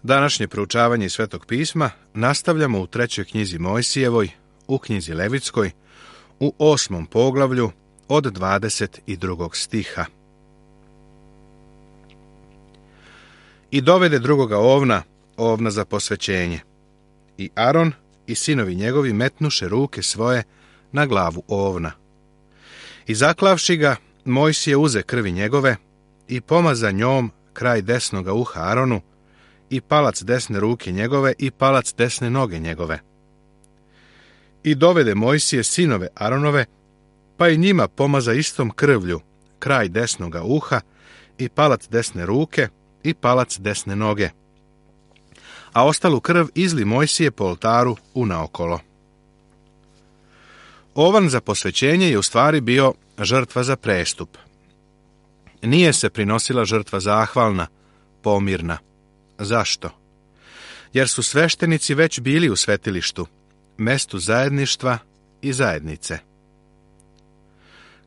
Današnje proučavanje iz Svetog pisma nastavljamo u 3. knjizi Mojsijevoj, u knjizi Levitskoj, u 8. poglavlju od 22. stiha. I dovede drugoga ovna za posvećenje. I Aron i sinovi njegovi metnuše ruke svoje na glavu ovna. I zaklavši ga, Mojsije uze krvi njegove i pomaza njom kraj desnoga uha Aronu i palac desne ruke njegove i palac desne noge njegove. I dovede Mojsije sinove Aronove, pa i njima pomaza istom krvlju kraj desnoga uha i palac desne ruke i palac desne noge. A ostalu krv izli Mojsije po oltaru unaokolo. Ovan za posvećenje je u stvari bio žrtva za prestup. Nije se prinosila žrtva zahvalna, pomirna. Zašto? Jer su sveštenici već bili u svetilištu, mestu zajedništva i zajednice.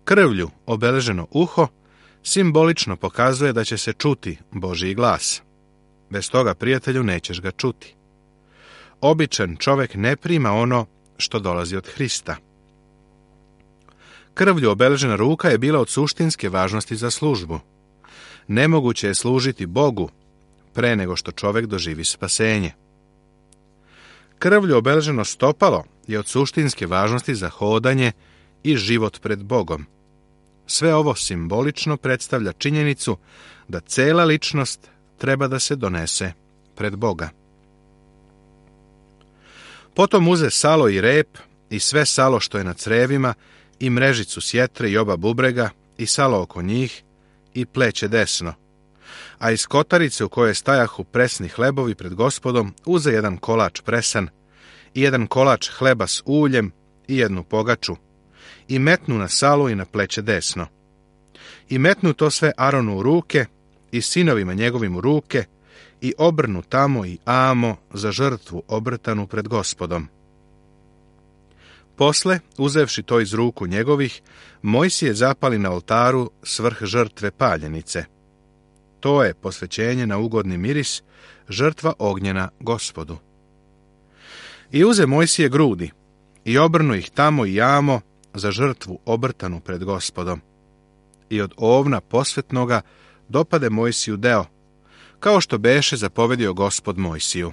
Krvlju obeleženo uho simbolično pokazuje da će se čuti Božji glas. Bez toga, prijatelju, nećeš ga čuti. Običan čovjek ne prima ono što dolazi od Hrista. Krvlju obeležena ruka je bila od suštinske važnosti za službu. Nemoguće je služiti Bogu pre nego što čovjek doživi spasenje. Krvlju obeleženo stopalo je od suštinske važnosti za hodanje i život pred Bogom. Sve ovo simbolično predstavlja činjenicu da cela ličnost treba da se donese pred Boga. Potom uze salo i rep i sve salo što je na crevima i mrežicu sjetre i oba bubrega i salo oko njih i pleće desno. A iz kotarice u kojoj stajahu presni hlebovi pred Gospodom uze jedan kolač presan i jedan kolač hleba s uljem i jednu pogaču i metnu na salu i na pleće desno. I metnu to sve Aronu u ruke i sinovima njegovim u ruke i obrnu tamo i amo za žrtvu obrtanu pred Gospodom. Posle, uzevši to iz ruku njegovih, Mojsije zapali na oltaru svrh žrtve paljenice. To je posvećenje na ugodni miris, žrtva ognjena Gospodu. I uze Mojsije grudi i obrnu ih tamo i amo za žrtvu obrtanu pred Gospodom. I od ovna posvetnoga dopade Mojsiju deo, kao što beše zapovedio Gospod Mojsiju.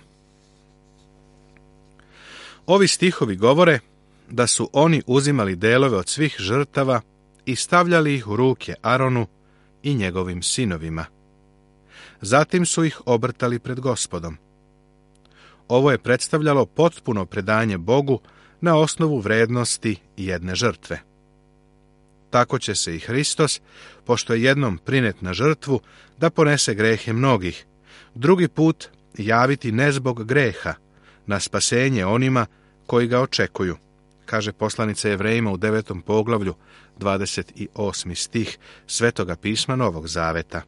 Ovi stihovi govore da su oni uzimali delove od svih žrtava i stavljali ih u ruke Aronu i njegovim sinovima. Zatim su ih obrtali pred Gospodom. Ovo je predstavljalo potpuno predanje Bogu na osnovu vrednosti jedne žrtve. Tako će se i Hristos, pošto je jednom prinet na žrtvu, da ponese grehe mnogih, drugi put javiti ne zbog greha, na spasenje onima koji ga očekuju, kaže poslanica Jevrejima u 9. poglavlju, 28. stih Svetoga pisma Novog Zaveta.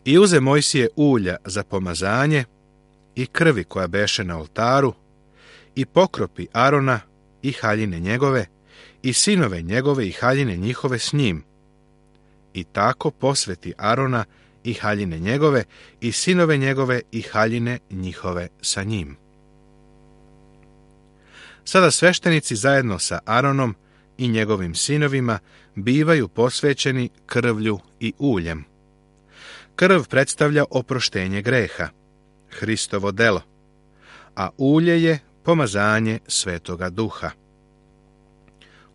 I uze Mojsije ulja za pomazanje i krvi koja beše na oltaru i pokropi Arona i haljine njegove i sinove njegove i haljine njihove s njim. I tako posveti Arona i haljine njegove i sinove njegove i haljine njihove sa njim. Sada sveštenici zajedno sa Aronom i njegovim sinovima bivaju posvećeni krvlju i uljem. Krv predstavlja oproštenje greha, Hristovo delo, a ulje je pomazanje Svetoga Duha.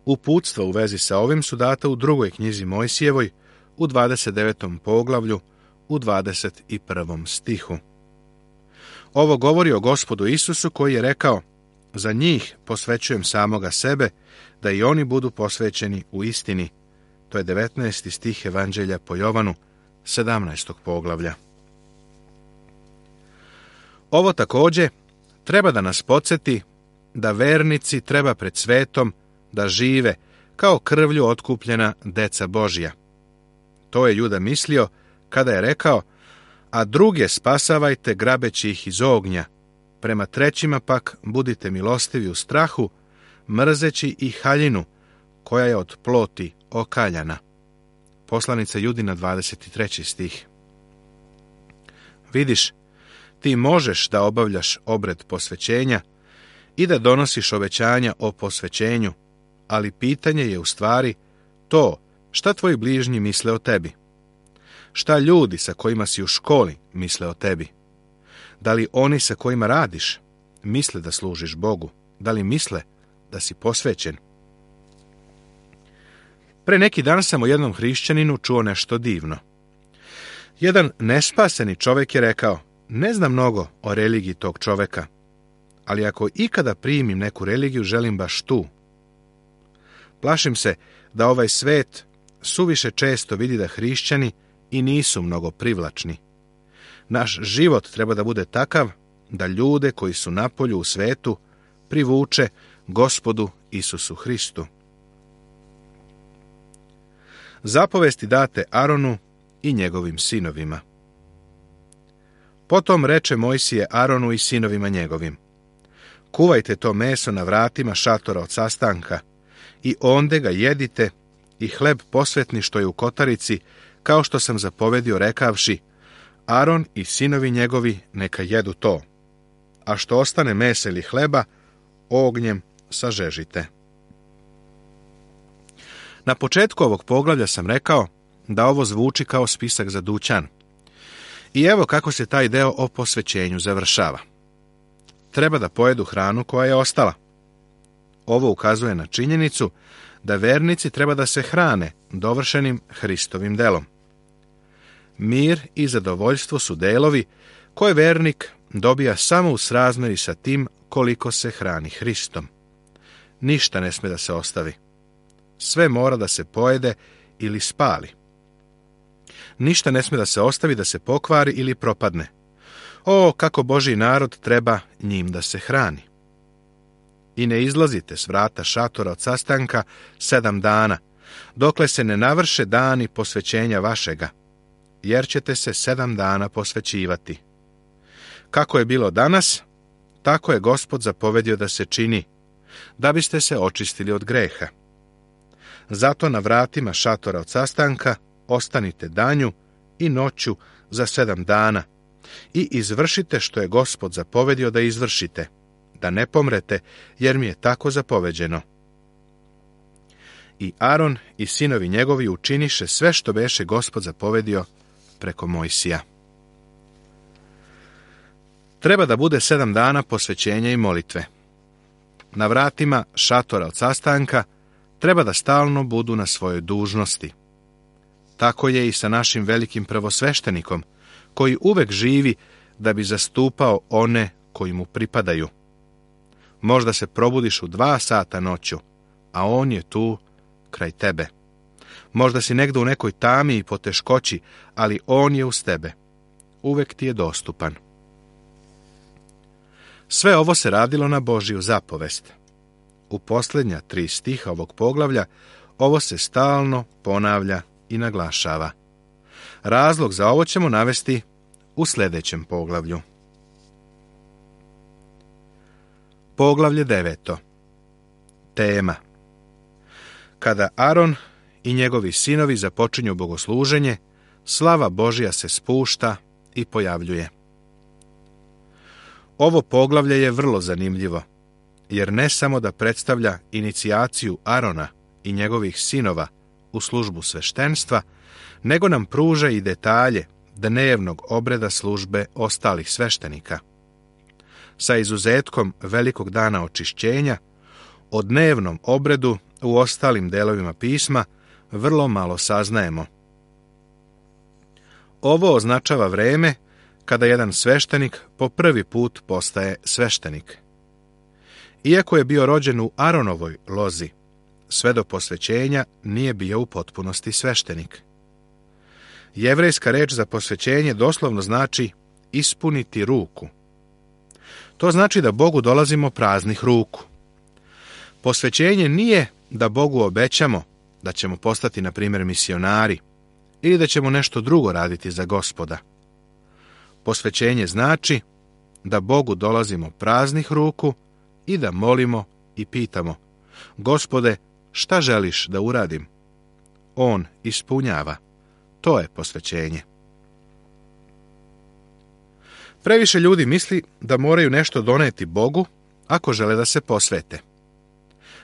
Uputstva u vezi sa ovim su data u 2. knjizi Mojsijevoj, u 29. poglavlju, u 21. stihu. Ovo govori o Gospodu Isusu koji je rekao: za njih posvećujem samoga sebe, da i oni budu posvećeni u istini. To je 19. stih Evanđelja po Jovanu, 17. poglavlja. Ovo također treba da nas podsjeti da vernici treba pred svetom da žive kao krvlju otkupljena deca Božja. To je Juda mislio kada je rekao: a druge spasavajte grabeći ih iz ognja, prema trećima pak budite milostivi u strahu, mrzeći i haljinu koja je od ploti okaljana. Poslanica Judina, 23. stih. Vidiš, ti možeš da obavljaš obred posvećenja i da donosiš obećanja o posvećenju, ali pitanje je u stvari to šta tvoji bližnji misle o tebi. Šta ljudi sa kojima si u školi misle o tebi? Da li oni sa kojima radiš misle da služiš Bogu? Da li misle da si posvećen? Pre neki dan sam o jednom hrišćaninu čuo nešto divno. Jedan nespaseni čovjek je rekao: ne znam mnogo o religiji tog čovjeka, ali ako ikada primim neku religiju, želim baš tu. Plašim se da ovaj svet suviše često vidi da hrišćani i nisu mnogo privlačni. Naš život treba da bude takav da ljude koji su napolju u svetu privuče Gospodu Isusu Hristu. Zapovesti date Aronu i njegovim sinovima. Potom reče Mojsije Aronu i sinovima njegovim: kuvajte to meso na vratima šatora od sastanka i onde ga jedite i hleb posvetni što je u kotarici, kao što sam zapovedio rekavši: Aron i sinovi njegovi neka jedu to, a što ostane mesa ili hleba, ognjem sažežite. Na početku ovog poglavlja sam rekao da ovo zvuči kao spisak za dućan. I evo kako se taj deo o posvećenju završava. Treba da pojedu hranu koja je ostala. Ovo ukazuje na činjenicu da vernici treba da se hrane dovršenim Hristovim delom. Mir i zadovoljstvo su delovi koje vernik dobija samo u srazmeri sa tim koliko se hrani Hristom. Ništa ne sme da se ostavi. Sve mora da se pojede ili spali. Ništa ne sme da se ostavi, da se pokvari ili propadne. O, kako Božji narod treba njim da se hrani. I ne izlazite s vrata šatora od sastanka 7 dana, dokle se ne navrše dani posvećenja vašega, jer ćete se 7 dana posvećivati. Kako je bilo danas, tako je Gospod zapovedio da se čini, da biste se očistili od greha. Zato na vratima šatora od sastanka ostanite danju i noću za 7 dana i izvršite što je Gospod zapovedio da izvršite, da ne pomrete, jer mi je tako zapoveđeno. I Aron i sinovi njegovi učiniše sve što beše Gospod zapovedio preko Mojsija. Treba da bude 7 dana posvećenja i molitve. Na vratima šatora od sastanka treba da stalno budu na svojoj dužnosti. Tako je i sa našim velikim prvosveštenikom, koji uvek živi da bi zastupao one koji mu pripadaju. Možda se probudiš u 2 sata noću, a on je tu kraj tebe. Možda si negde u nekoj tami i poteškoći, ali on je uz tebe. Uvek ti je dostupan. Sve ovo se radilo na Božiju zapovest. U posljednja 3 stiha ovog poglavlja ovo se stalno ponavlja i naglašava. Razlog za ovo ćemo navesti u sljedećem poglavlju. Poglavlje 9. Tema: kada Aron i njegovi sinovi započinju bogosluženje, slava Božja se spušta i pojavljuje. Ovo poglavlje je vrlo zanimljivo, jer ne samo da predstavlja inicijaciju Arona i njegovih sinova u službu sveštenstva, nego nam pruža i detalje dnevnog obreda službe ostalih sveštenika. Sa izuzetkom velikog dana očišćenja, o dnevnom obredu u ostalim delovima pisma vrlo malo saznajemo. Ovo označava vreme kada jedan sveštenik po prvi put postaje sveštenik. Iako je bio rođen u Aronovoj lozi, sve do posvećenja nije bio u potpunosti sveštenik. Jevrejska reč za posvećenje doslovno znači ispuniti ruku. To znači da Bogu dolazimo praznih ruku. Posvećenje nije da Bogu obećamo da ćemo postati, na primjer, misionari ili da ćemo nešto drugo raditi za Gospoda. Posvećenje znači da Bogu dolazimo praznih ruku i da molimo i pitamo: Gospode, šta želiš da uradim? On ispunjava. To je posvećenje. Previše ljudi misli da moraju nešto doneti Bogu ako žele da se posvete.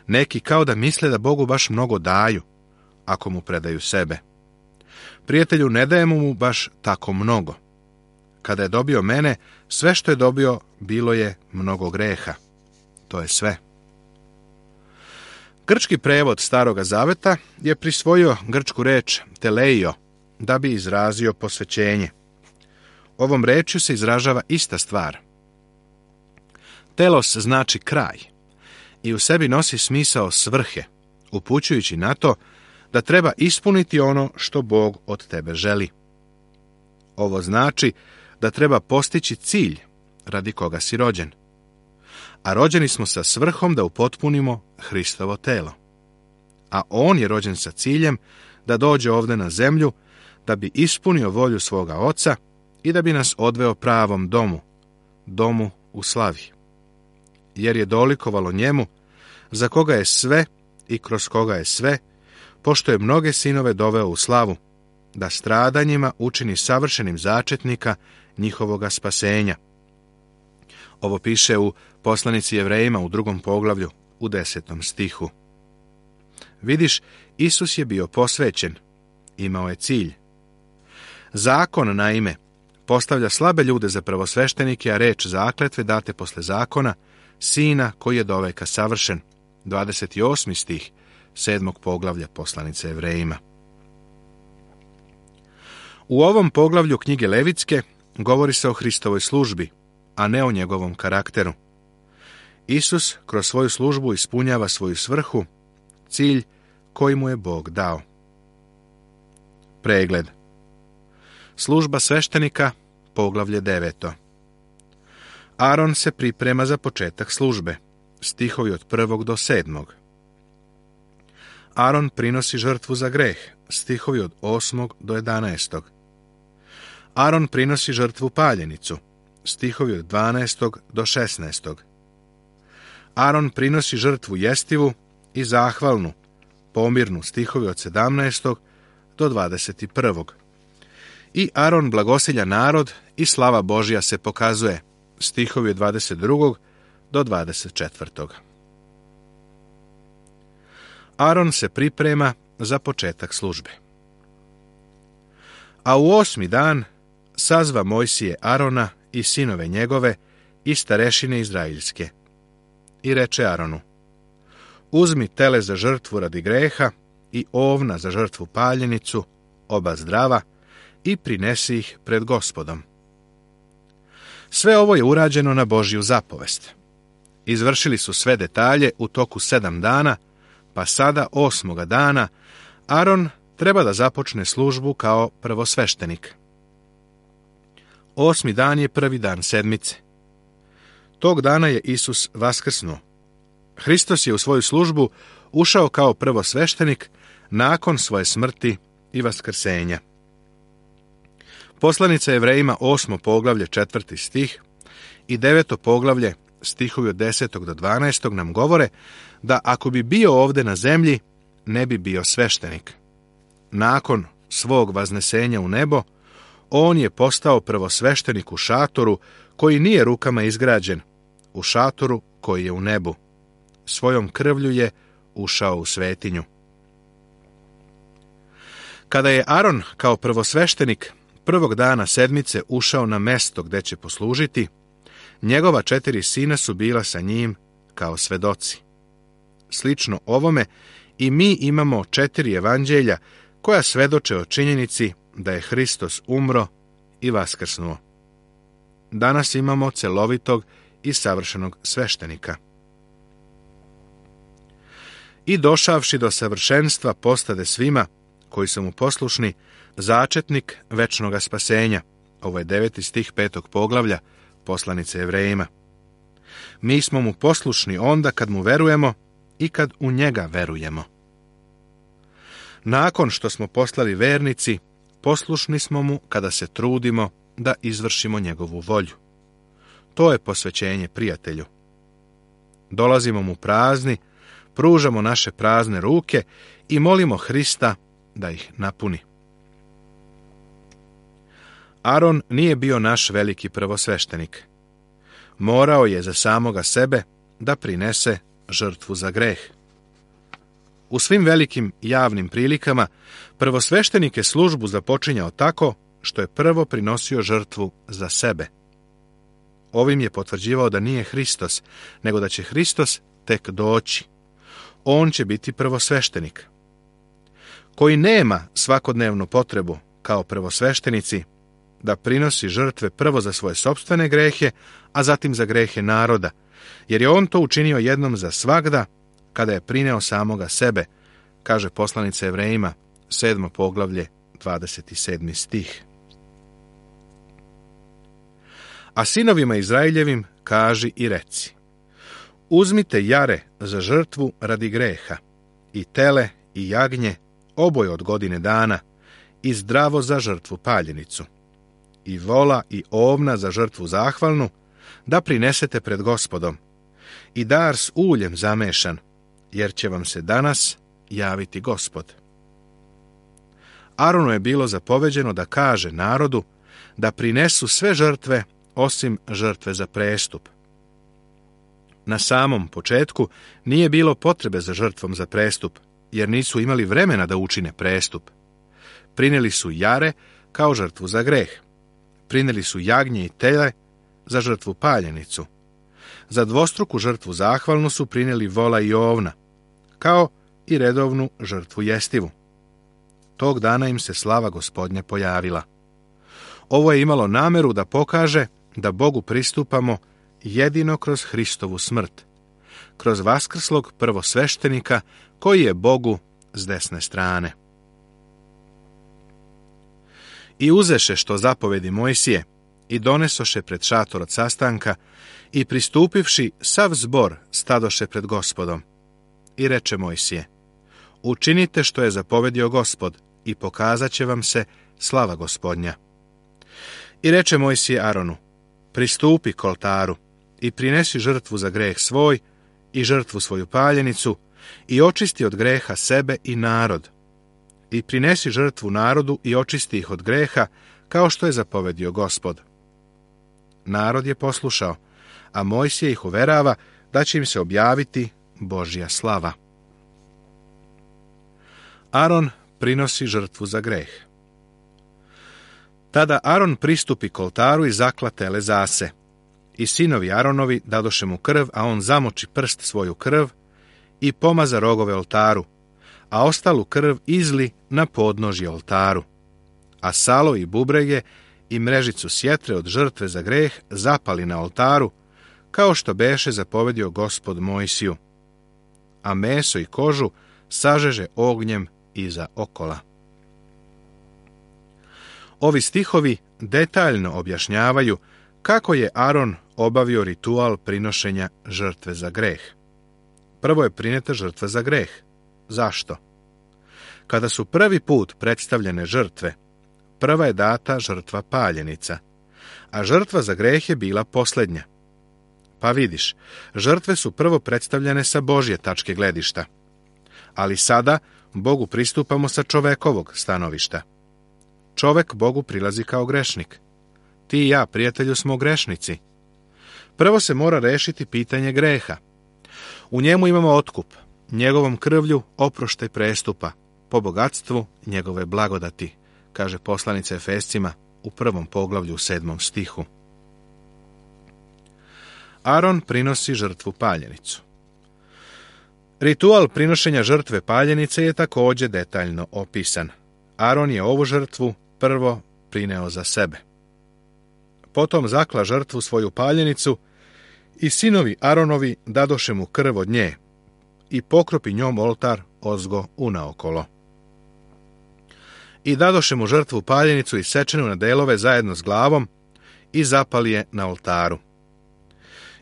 Neki kao da misle da Bogu baš mnogo daju ako mu predaju sebe. Prijatelju, ne dajemo mu baš tako mnogo. Kada je dobio mene, sve što je dobio bilo je mnogo greha. To je sve. Grčki prevod Staroga Zaveta je prisvojio grčku reč teleio da bi izrazio posvećenje. Ovom rečju se izražava ista stvar. Telos znači kraj i u sebi nosi smisao svrhe, upućujući na to da treba ispuniti ono što Bog od tebe želi. Ovo znači da treba postići cilj radi koga si rođen. A rođeni smo sa svrhom da upotpunimo Hristovo telo. A on je rođen sa ciljem da dođe ovdje na zemlju, da bi ispunio volju svoga Oca i da bi nas odveo pravom domu, domu u slavi. Jer je dolikovalo njemu, za koga je sve i kroz koga je sve, pošto je mnoge sinove doveo u slavu, da stradanjima učini savršenim začetnika njihovoga spasenja. Ovo piše u poslanici Jevrejima u 2. poglavlju u 10. stihu. Vidiš, Isus je bio posvećen, imao je cilj. Zakon, naime, postavlja slabe ljude za prvosveštenike, a reč zakletve date posle zakona, sina koji je doveka savršen. 28. stih 7. poglavlja poslanice Jevrejima. U ovom poglavlju knjige Levitske govori se o Hristovoj službi, a ne o njegovom karakteru. Isus kroz svoju službu ispunjava svoju svrhu, cilj koji mu je Bog dao. Pregled. Služba sveštenika, poglavlje 9. Aron se priprema za početak službe, stihovi od 1. do 7. Aron prinosi žrtvu za greh, stihovi od 8. do 11. Aron prinosi žrtvu paljenicu, stihovi od 12. do 16. Aron prinosi žrtvu jestivu i zahvalnu, pomirnu, stihovi od 17. do 21. I Aron blagosilja narod i slava Božja se pokazuje, stihovi od 22. do 24. Aron se priprema za početak službe. A u 8. dan sazva Mojsije Arona i sinove njegove i starešine izraeljske. I reče Aronu: uzmi tele za žrtvu radi greha i ovna za žrtvu paljenicu, oba zdrava, i prinesi ih pred Gospodom. Sve ovo je urađeno na Božju zapovest. Izvršili su sve detalje u toku 7 dana, pa sada 8. dana Aron treba da započne službu kao prvosveštenik. 8. dan je prvi dan sedmice. Tog dana je Isus vaskrsnuo. Hristos je u svoju službu ušao kao prvosveštenik nakon svoje smrti i vaskrsenja. Poslanica Jevrejima 8. poglavlje 4. stih i 9. poglavlje stihovi od 10. do 12. nam govore da ako bi bio ovdje na zemlji, ne bi bio sveštenik. Nakon svog vaznesenja u nebo, on je postao prvosveštenik u šatoru koji nije rukama izgrađen, u šatoru koji je u nebu. Svojom krvlju je ušao u svetinju. Kada je Aron kao prvosveštenik prvog dana sedmice ušao na mesto gde će poslužiti, njegova 4 sina su bila sa njim kao svedoci. Slično ovome i mi imamo 4 evanđelja koja svedoče o činjenici da je Hristos umro i vaskrsnuo. Danas imamo celovitog i savršenog sveštenika. I došavši do savršenstva postade svima koji su mu poslušni začetnik večnoga spasenja. Ovo je 9. stih 5. poglavlja poslanice Jevrejima. Mi smo mu poslušni onda kad mu verujemo i kad u njega verujemo. Nakon što smo postali vernici, poslušni smo mu kada se trudimo da izvršimo njegovu volju. To je posvećenje prijatelju. Dolazimo mu prazni, pružamo naše prazne ruke i molimo Hrista da ih napuni. Aron nije bio naš veliki prvosveštenik. Morao je za samoga sebe da prinese žrtvu za greh. U svim velikim javnim prilikama prvosveštenik je službu započinjao tako što je prvo prinosio žrtvu za sebe. Ovim je potvrđivao da nije Hristos, nego da će Hristos tek doći. On će biti prvosveštenik. Koji nema svakodnevnu potrebu, kao prvosveštenici, da prinosi žrtve prvo za svoje sopstvene grehe, a zatim za grehe naroda, jer je on to učinio jednom za svagda, kada je prineo samoga sebe, kaže poslanica Evrejima, 7. poglavlje, 27. stih. A sinovima Izraeljevim kaži i reci: uzmite jare za žrtvu radi greha, i tele i jagnje, oboje od godine dana, i zdravo za žrtvu paljenicu, i vola i ovna za žrtvu zahvalnu, da prinesete pred Gospodom, i dar s uljem zamešan, jer će vam se danas javiti Gospod. Aronu je bilo zapoveđeno da kaže narodu da prinesu sve žrtve osim žrtve za prestup. Na samom početku nije bilo potrebe za žrtvom za prestup, jer nisu imali vremena da učine prestup. Prineli su jare kao žrtvu za greh. Prineli su jagnje i tele za žrtvu paljenicu. Za dvostruku žrtvu zahvalnu su prineli vola i ovna, kao i redovnu žrtvu jestivu. Tog dana im se slava Gospodnja pojavila. Ovo je imalo nameru da pokaže da Bogu pristupamo jedino kroz Hristovu smrt, kroz vaskrslog prvosveštenika koji je Bogu s desne strane. I uzeše što zapovedi Mojsije i donesoše pred šator od sastanka i pristupivši sav zbor stadoše pred Gospodom. I reče Mojsije: učinite što je zapovedio Gospod i pokazat će vam se slava Gospodnja. I reče Mojsije Aronu: pristupi k oltaru i prinesi žrtvu za greh svoj i žrtvu svoju paljenicu i očisti od greha sebe i narod. I prinesi žrtvu narodu i očisti ih od greha, kao što je zapovedio Gospod. Narod je poslušao, a Mojsije ih uverava da će im se objaviti Božja slava. Aron prinosi žrtvu za greh. Tada Aron pristupi k oltaru i zakla tele zase. I sinovi Aronovi dadoše mu krv, a on zamoči prst svoju krv i pomaza rogove oltaru, a ostalu krv izli na podnožje oltaru. A salo i bubrege i mrežicu sjetre od žrtve za greh zapali na oltaru, kao što beše zapovedio Gospod Mojsiju. A meso i kožu sažeže ognjem iza okola. Ovi stihovi detaljno objašnjavaju kako je Aron obavio ritual prinošenja žrtve za greh. Prvo je prineta žrtva za greh. Zašto? Kada su prvi put predstavljene žrtve, prva je data žrtva paljenica, a žrtva za greh je bila posljednja. Pa vidiš, žrtve su prvo predstavljene sa Božje tačke gledišta, ali sada Bogu pristupamo sa čovekovog stanovišta. Čovek Bogu prilazi kao grešnik. Ti i ja, prijatelju, smo grešnici. Prvo se mora rešiti pitanje greha. U njemu imamo otkup, njegovom krvlju oproštaj prestupa, po bogatstvu njegove blagodati, kaže poslanica Efescima u 1. poglavlju u 7. stihu. Aron prinosi žrtvu paljenicu. Ritual prinošenja žrtve paljenice je također detaljno opisan. Aron je ovu žrtvu prvo prineo za sebe. Potom zakla žrtvu svoju paljenicu i sinovi Aronovi dadoše mu krv od nje i pokropi njom oltar ozgo unaokolo. I dadoše mu žrtvu paljenicu isečenu na delove zajedno s glavom i zapali je na oltaru.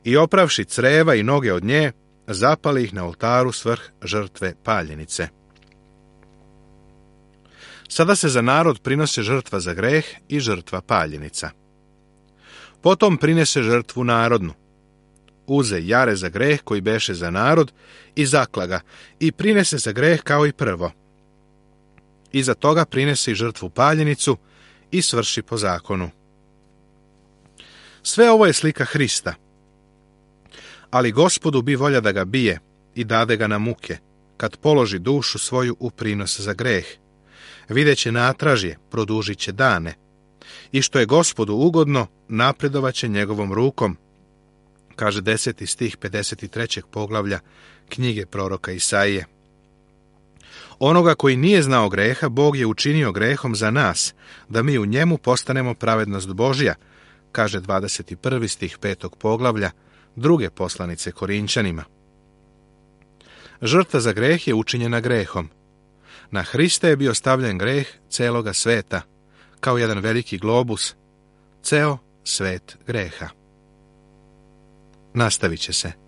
I opravši creva i noge od nje, zapali ih na oltaru svrh žrtve paljenice. Sada se za narod prinose žrtva za greh i žrtva paljenica. Potom prinese žrtvu narodnu. Uze jare za greh koji beše za narod i zakla ga i prinese za greh kao i prvo. Iza toga prinese i žrtvu paljenicu i svrši po zakonu. Sve ovo je slika Hrista, ali Gospodu bi volja da ga bije i dade ga na muke, kad položi dušu svoju u prinos za greh. Videće natražje, produžit će dane, i što je Gospodu ugodno, napredovat će njegovom rukom, kaže 10. stih 53. poglavlja knjige proroka Isaije. Onoga koji nije znao greha, Bog je učinio grehom za nas, da mi u njemu postanemo pravednost Božja, kaže 21. stih 5. poglavlja druge poslanice Korinčanima. Žrtva za greh je učinjena grehom. Na Hrista je bio stavljen greh celoga sveta, kao jedan veliki globus, ceo svet greha. Nastavit će se.